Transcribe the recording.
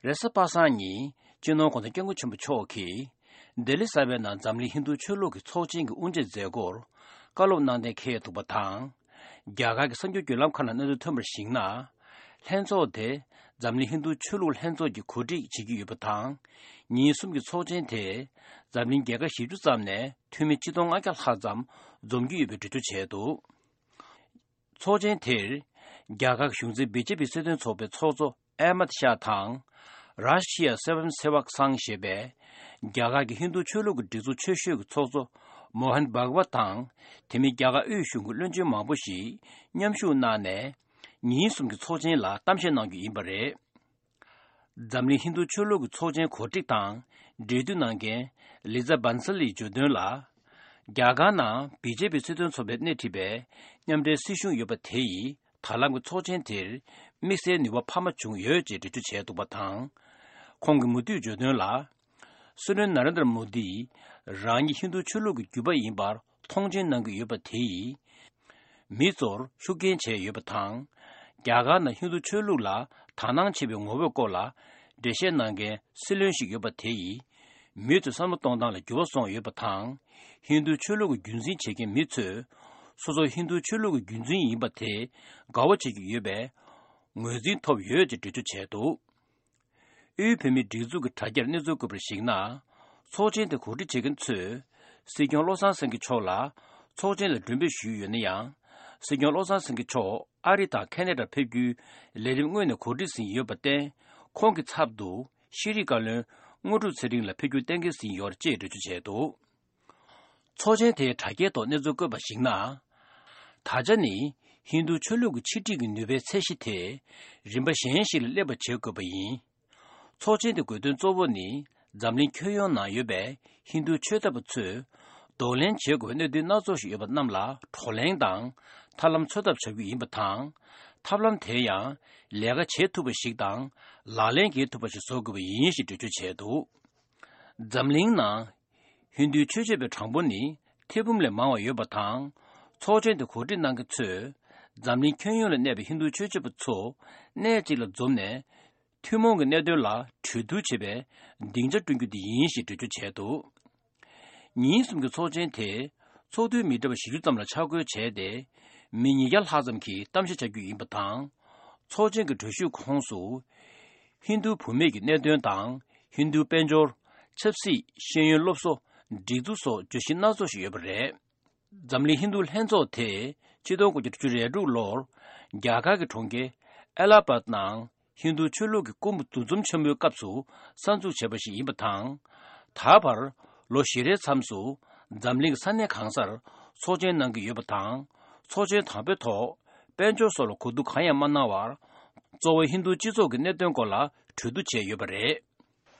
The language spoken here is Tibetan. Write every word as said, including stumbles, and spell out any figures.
རེས་གཟའ་པ་སངས་ཉིན་སྤྱི་ནོར་༧གོང་ས་༧སྐྱབས་མགོན་ཆེན་པོ་མཆོག་གིས་ལྡི་ལི་གསར་པའི་ནང་འཛམ་གླིང་ཧིན་རྡུ་ཆོས་ལུགས་ཀྱི་ཚོགས་ཆེན་གྱི་དབུ་འབྱེད་མཛད་སྒོར་བཀའ་སློབ་གནང་གཏན་འཁེལ་འདུག་པ་དང་། རྒྱ་གར་གྱི་གསར་འགྱུར་བརྒྱུད་ལམ་ཁག་ནང་གནས་ཚུལ་ཐོན་པར་གཞིགས་ན། ལྷན་ཚོགས་དེ་འཛམ་གླིང་ཧིན་རྡུ་ཆོས་ལུགས་ལྷན་ཚོགས་ཀྱིས་གོ་སྒྲིག་བྱེད་ཀྱི་ཡོད་པ་དང་། ཉིན་གསུམ་གྱི་ཚོགས་ཆེན་དེ་འཛམ་གླིང་རྒྱལ་ཁབ་བཞི་བཅུ་ཙམ་ནས་འཐུས་མི་ཆིག་སྟོང་ལྔ་བརྒྱ་ལྷག་ཙམ་འཛོམས་ཀྱི་ཡོད་པའི་འགྲེལ་བརྗོད་བྱས་འདུག་ཚོགས་ཆེན་དེར་རྒྱ་གར་གྱི་གཞུང་འཛིན་བི་ཇེ་པི་སྲིད་དོན་ཚོགས་པའི་ཚོགས་གཙོ་ཨེ་མད་ཤཱ་དང་། རཱ་ཤི་ཡ་སེ་ཝན་སེ་ཝག་སང་ཞེས་པའི་རྒྱ་གར་གྱི་ཧིན་རྡུ་ཆོས་ལུགས་ཀྱི་སྒྲིག་འཛུགས་ཆེ་ཤོས་ཀྱི་ཚོགས་གཙོ་མོ་ཧན་བྷག་ཝད་དང་། དེ་མིན་རྒྱ་གར་དབུས་གཞུང་གི་བློན་ཆེན་མང་པོ་ཞིག་མཉམ་ཞུགས་གནང་ནས། ཉིན་གསུམ་གྱི་ཚོགས་ཆེན་ལ་གཏམ་བཤད་གནང་རྒྱུ་ཡིན་པ་རེད། འཛམ་གླིང་ཧིན་རྡུ་ཆོས་ལུགས་ཀྱི་ཚོགས་ཆེན་གོ་སྒྲིག་དང་འབྲེལ་མཐུད་གནང་མཁན་ལི་ཛ་བན་སལ་ཡིས་བརྗོད་དོན་ལ། རྒྱ་གར་ནང་བི་ཇེ་པི་སྲིད་དོན་ཚོགས་པས་སྣེ་ཁྲིད་པའི་མཉམ་འབྲེལ་སྲིད་གཞུང་ཡོད་པ་དེ་ཡིས་ད་ལམ་གྱི་ཚོགས་ཆེན་དེར་དམིགས་བསལ་ནུས་པ་འཕར་མ་བྱུང་ཡོད་ཅེས་འགྲེལ་བརྗོད་བྱས་འདུག་པ་དང་། ཁོང་གིས་མུ་མཐུད་བརྗོད་དོན་ལ། སྲིད་བློན་ན་རེན་དྲ་མོ་དིས་རང་ཉིད་ཧིན་རྡུ་ཆོས་ལུགས་ཀྱི་རྒྱུད་པ་ཡིན་པར་མཐོང་ཆེན་གནང་གི་ཡོད་པ་དེ་ཡིས། མི་ཚོར་ཤུགས་རྐྱེན་བྱས་ཡོད་པ་དང་། རྒྱ་གར་ནང་ཧིན་རྡུ་ཆོས་ལུགས་ལ་དག་སྣང་ཆེ་བའི་ངོ་བོའི་སྐོར་ལ་འགྲེལ་བཤད་གནང་མཁན་སྲིད་བློན་ཞིག་ཡོད་པ་དེ་ཡིས། མི་ཚོའི་བསམ་བློ་གཏོང་སྟངས་ལ་འགྱུར་བ་སོང་ཡོད་པ་དང་། ཧིན་རྡུ་ཆོས་ལུགས་ཀྱི་རྒྱུན་འཛིན་བྱེད་མཁན་མི་ཚོས། སོ་སོ་ཧིན་རྡུ་ཆོས་ལུགས་ཀྱི་རྒྱུན་འཛིན་ཡིན་པ་དེ་དགའ་བོ་བྱེད་ཀྱི་ཡོད་པའི་ངོས་འཛིན་ཐོབ་ཡོད་ཅེས་འགྲེལ་བརྗོད་བྱས་འདུག་དབུས་བོད་མིའི་སྒྲིག་འཛུགས་ཀྱི་དྲ་རྒྱར་གནས་ཚུལ་བཀོད་པར་གཞིགས་ན། ཚོགས་ཆེན་དེ་གོ་སྒྲིག་བྱེད་མཁན་ཚོས། སྲིད་སྐྱོང་བློ་བཟང་སེང་གེ་མཆོག་ལ་ཚོགས་ཆེན་ལ་མགྲོན་འབོད་ཞུས་ཡོད་ན་ཡང་། སྲིད་སྐྱོང་བློ་བཟང་སེང་གེ་མཆོག་ཨ་རི་དང་ཁེ་ན་ཌར་ཕེབས་རྒྱུའི་ལས་རིམ་སྔོན་ནས་གོ་སྒྲིག་ཟིན་ཡོད་པར་བརྟེན། ཁོང་གི་ཚབ་ཏུ་ཤེས་རིག་བཀའ་བློན་དངོས་གྲུབ་ཚེ་རིང་ལ་ཕེབས་རྒྱུ་གཏན་འཁེལ་ཟིན་ཡོད་ཅེས་འགྲེལ་བརྗོད་བྱས་འདུག་ཚོགས་ཆེན་དེའི་དྲ་རྒྱའི་ཐོག་གནས་ཚུལ་བཀོད་པར་གཞིགས་ན། ད་ཆ་ནི་ཧིན་རྡུ་ཆོས་ལུགས་ཀྱི་ཕྱི་འབྲེལ་གྱི་ནུས་པའི་ཚད་གཞི་དེ་རིམ་པ་གཞན་ཞིག་ལ་སླེབས་པ་བྱེད་དགོས་པ་ཡིན། ཚོགས་ཆེན་དེ་དགོས་དོན་གཙོ་བོ་ནི་འཛམ་གླིང་ཁྱོན་ཡོངས་ནང་ཡོད་པའི་ཧིན་རྡུ་ཆོས་དད་པ་ཚོས་གདོང་ལེན་བྱེད་དགོས་པའི་གནད་དོན་སྣ་ཚོགས་ཤིག་ཡོད་པ་རྣམས་ལ་བགྲོ་གླེང་དང་ཐབས་ལམ་འཚོལ་ཐབས་བྱ་རྒྱུ་ཡིན་པ་དང་། ཐབས་ལམ་དེ་ཡང་ལས་ཀ་བྱེད་ཐུབ་པ་ཞིག་དང་ལག་ལེན་འགེལ་ཐུབ་པ་ཞིག་བཟོ་དགོས་པ་ཡིན་ཞེས་འགྲེལ་བརྗོད་བྱས་འདུག་འཛམ་གླིང་ནང་། ཧིན་རྡུའི་ཆོས་བྱེད་པའི་གྲངས་འབོར་ནི་ཐེར་འབུམ་ལས་མང་བ་ཡོད་པ་དང་། ཚོགས་ཆེན་དུ་གོ་སྒྲིག་གནང་མཁན་ཚོས་འཛམ་གླིང་ཁྱོན་ཡོངས་ལ་གནས་པའི་ཧིན་རྡུ་ཆོས་བྱེད་པ་ཚོ་གནས་གཅིག་ལ་འཛོམས་ནས། ཐུན་མོང་གི་གནད་དོན་ལ་གྲོས་བསྡུར་བྱེད་པའི་སྡིངས་ཆ་བསྐྲུན་རྒྱུ་དེ་ཡིན་ཞེས་འགྲེལ་བརྗོད་བྱས་འདུག་ཉིན་གསུམ་གྱི་ཚོགས་ཆེན་དེ་ཚོགས་འདུའི་མི་གྲངས་བཞི་བཅུ་ཙམ་ལ་ཆ་བགོས་བྱས་ཏེ། མི་ཉིས་བརྒྱ་ལྷག་ཙམ་གྱིས་གཏམ་བཤད་བྱ་རྒྱུ་ཡིན་པ་དང་། ཚོགས་ཆེན་གྱི་གྲོས་གཞིའི་ཁོངས་སུ། ཧིན་རྡུ་བུད་མེད་ཀྱི་གནད་དོན་དང་། ཧིན་རྡུ་དཔལ་འབྱོར། ཆབ་སྲིད། ཤེས་ཡོན་སློབ་གསོ། སྒྲིག་འཛུགས་སོགས་བརྗོད་གཞི་སྣ་ཚོགས་ཤིག་ཡོད་པ་རེད། འཛམ་གླིང་ཧིན་རྡུ་ལྷན་ཚོགས་དེ་ཆིག་སྟོང་དགུ་བརྒྱ་དྲུག་ཅུ་རེ་དྲུག་ལོར་རྒྱ་གར་གྱི་གྲོང་ཁྱེར་ཨེ་ལ་ཧ་བཱད་ནང་ཧིན་རྡུ་ཆོས་ལུགས་ཀྱི་དགོན་པ་འདུ་འཛོམས་ཆེན་མོའི་སྐབས་སུ་གསར་འཛུགས་བྱས་པ་ཞིག་ཡིན་པ་དང་། ད་བར་ལོ་བཞི་རེའི་མཚམས་སུ་འཛམ་གླིང་གི་ས་གནས་གང་སར་ཚོགས་ཆེན་གནང་གི་ཡོད་པ་དང་། ཚོགས་ཆེན་དང་པོའི་ཐོག་དཔལ་འབྱོར་སོགས་ལ་གོ་བསྡུར་གང་ཡང་མ་གནང་བར། གཙོ་བོ་ཧིན་རྡུ་སྤྱི་ཚོགས་ཀྱི་གནད་དོན་སྐོར་ལ་གྲོས་བསྡུར་བྱས་ཡོད་པ་རེད།